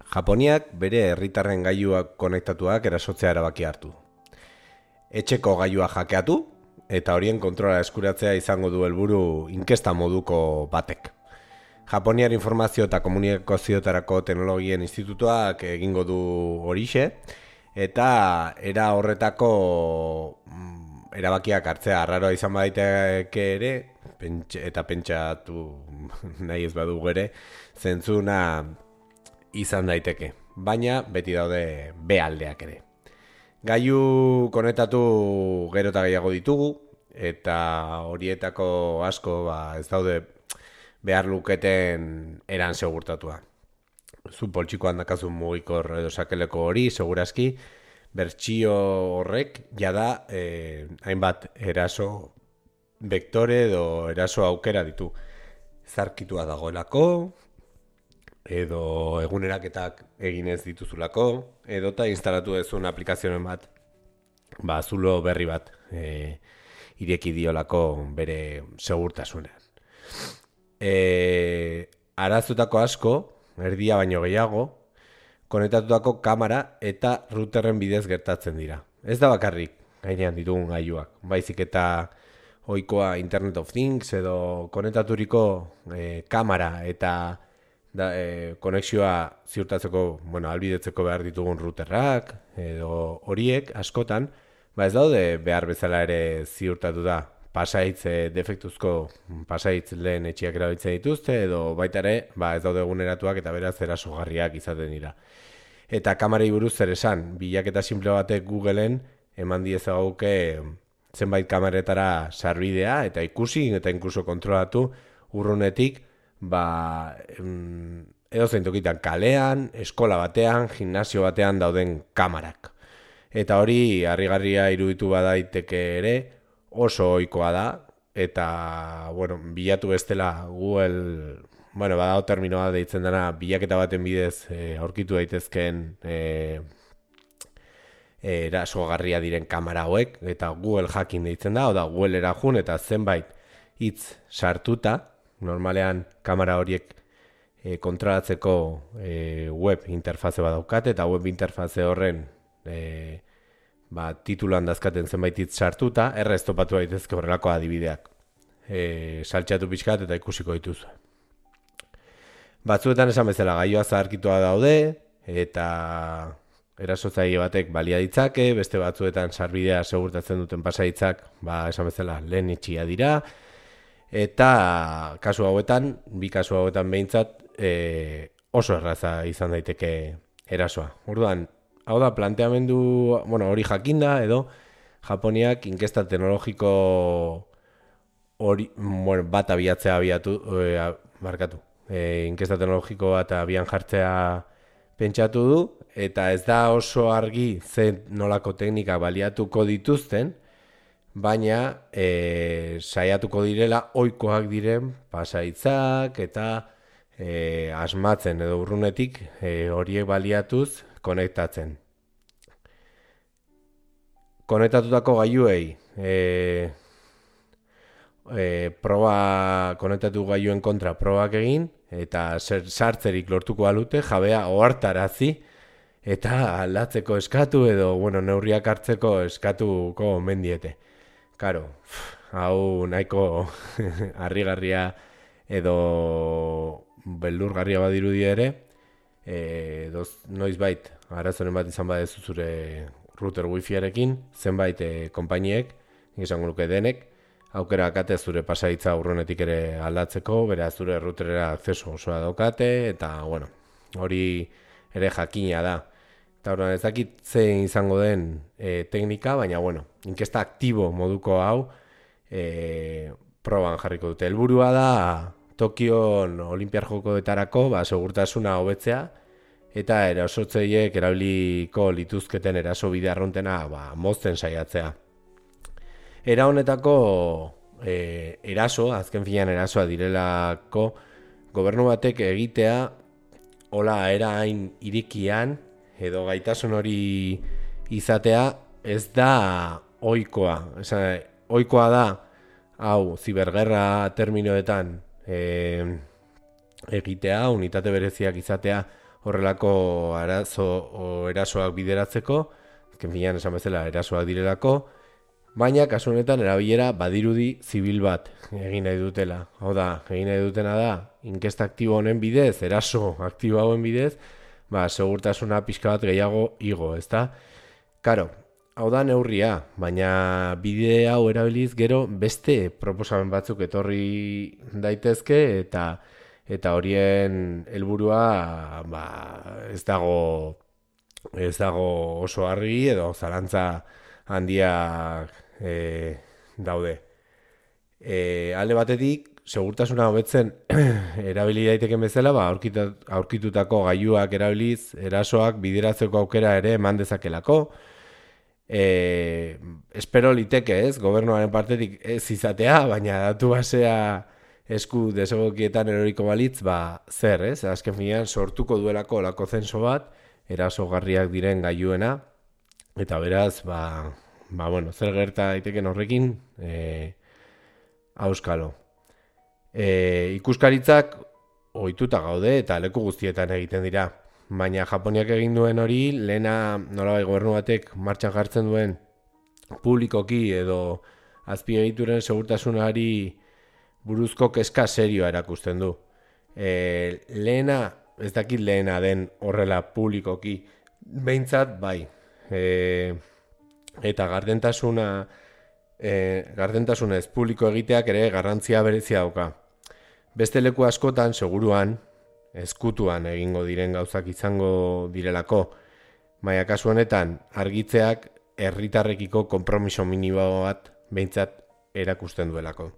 Japoniak bere herritarren gailuak konektatuak erasotzea erabaki hartu. Etxeko gailua jakeatu eta horien kontrola eskuratzea izango du helburu inkesta moduko batek. Japoniar Informazio eta Komunikazioetarako Teknologien Institutuak egingo du horixe eta era horretako erabakiak hartzea arraroa izan badaiteke ere eta pentsatu nahi ez badugu ere zentzuna izan daiteke, baina beti daude B aldeak ere. Gailu konektatu gero eta gehiago ditugu eta horietako asko ez daude behar luketen eran segurtatua. Zu poltsikoan dakazu mugikor edo sakeleko hori, segurazki, bertsio horrek jada hainbat eraso vektore edo eraso aukera ditu. Zarkitua dagoelako, edo eguneraketak eginez dituzulako, edo eta instalatu dezun aplikazioen bat, zulo berri bat ireki diolako bere segurtasunean. Arazutako asko, erdia baino gehiago, konektatutako kamera eta routerren bidez gertatzen dira. Ez da bakarrik gainean ditugun gailuak, baizik eta ohikoa Internet of Things edo konektaturiko kamera eta konexioa ziurtatzeko, albidetzeko behar ditugun routerrak edo horiek askotan, ez daude behar bezala ere ziurtatu da. Pasaitz defektuzko pasaitz lehen etxiak erabiltzen dituzte edo baita ere ez daude eguneratuak eta beraz erasogarriak izaten dira. Eta kamerei buruz zer esan, bilaketa simple batek Googleen eman diezaguke zenbait kameretara sarbidea eta ikusi eta inkluso kontrolatu urrunetik edozein tokitan kalean, eskola batean, gimnasio batean dauden kamerak. Eta hori harrigarria iruditu badaiteke ere, oso ohikoa da, eta, bilatu bestela Google, badago terminoa deitzen dena, bilaketa baten bidez aurkitu daitezkeen erasogarria diren kamera hauek, eta Google hacking deitzen da, oda Google erajun eta zenbait hitz sartuta, normalean kamera horiek kontrolatzeko web interfaze bat daukate, eta web interfaze horren titulan dazkaten zenbait hitz sartuta, errez topatu daitezke horrelako adibideak. Saltxatu pixkat eta ikusiko dituzu. Batzuetan esan bezala gailua zaharkitua daude, eta erasotzaile batek balia ditzake, beste batzuetan sarbidea segurtatzen duten pasaitzak, esan bezala lehen itxia dira, eta kasu hauetan, bi kasu hauetan behintzat, oso erraza izan daiteke erasoa. Orduan, hau da, planteamendu hori jakinda, edo Japoniak inkesta teknologiko bat abiatzea inkesta teknologiko bat abian jartzea pentsatu du, eta ez da oso argi zen nolako teknika baliatuko dituzten, baina saiatuko direla ohikoak diren pasaitzak eta asmatzen edo urrunetik horiek baliatuz konektatzen. Konektatutako gailuei konektatu gailuen kontra probak egin eta sartzerik lortuko balute jabea ohartarazi eta aldatzeko eskatu edo neurriak hartzeko eskatuko omen diete. Karo, hau nahiko harrigarria edo beldurgarria badirudi ere, noizbait arazoren bat izan badezu zure router wifiarekin, zenbait konpainiek, izango nuke denek, aukera akate zure pasaitza urrunetik ere aldatzeko, beraz zure routerera akzeso osoa daukate, eta hori ere jakina da. Eta horren ez dakit zein izango den teknika, baina inkesta aktibo moduko hau proban jarriko dute. Helburua da Tokion Olinpiar Jokoetarako segurtasuna hobetzea eta erasotzaileek erabiliko lituzketen eraso bide arruntena mozten saiatzea. Era honetako azken finean erasoa direlako gobernu batek egitea hola era hain irikian edo gaitasun hori izatea ez da ohikoa. Ohikoa da hau zibergerra terminoetan egitea, unitate bereziak izatea horrelako erasoak bideratzeko, azken finean esan bezala erasoak direlako, baina kasu honetan erabilera badirudi zibil bat egin nahi dutela. Hau da, egin nahi dutena da, inkesta aktibo honen bidez, eraso aktibo hauen bidez, segurtasuna pixka bat gehiago igo, ezta? Karo, hau da neurria, baina bide hau erabiliz gero beste proposamen batzuk etorri daitezke eta horien helburua ez dago oso argi edo zalantza handiak daude. Alde batetik, segurtasuna hobetzen erabili daiteken bezala, aurkitutako gailuak erabiliz, erasoak bideratzeko aukera ere eman dezakelako. Espero liteke ez, gobernuaren partetik ez izatea, baina datu basea esku desegokietan eroriko balitz, zer ez? Azken finean sortuko duelako lako zenso bat, erasogarriak diren gailuena, eta beraz, zer gerta daiteken horrekin, auskalo. Ikuskaritzak ohituta gaude eta leku guztietan egiten dira. Baina Japoniak egin duen hori, lehena nolabai gobernu batek martxan jartzen duen publikoki edo azpiegituren segurtasunari buruzko kezka serioa erakusten du. Lehena, ez dakit lehena den horrela publikoki, behintzat bai. Eta gardentasunez publiko egiteak ere garrantzia berezia dauka. Beste leku askotan, seguruan, ezkutuan egingo diren gauzak izango direlako, baina kasu honetan argitzeak herritarrekiko konpromiso minimo bat behintzat erakusten duelako.